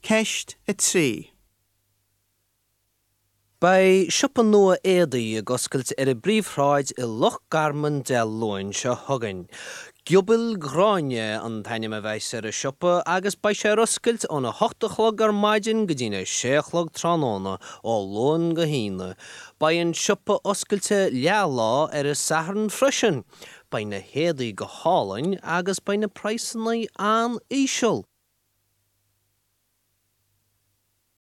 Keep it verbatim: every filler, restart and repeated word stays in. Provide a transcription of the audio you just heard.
Ceist a trí. Beidh siopa nua éadaí ag oscailt ar an bPríomhshráid i Loch Garman Dé Luain seo chugainn. Giobail Ghráinne an t-ainm a bheas ar an siopa agus beidh sé ar oscailt óna hocht a chlog ar maidin go dtína sé a chlog tráthnóna ó Luan go hAoine. Beidh an siopa oscailte leathlá ar an Satharn freisin. Beidh na héadaí go hálainn agus beidh na praghsanna an-íseal.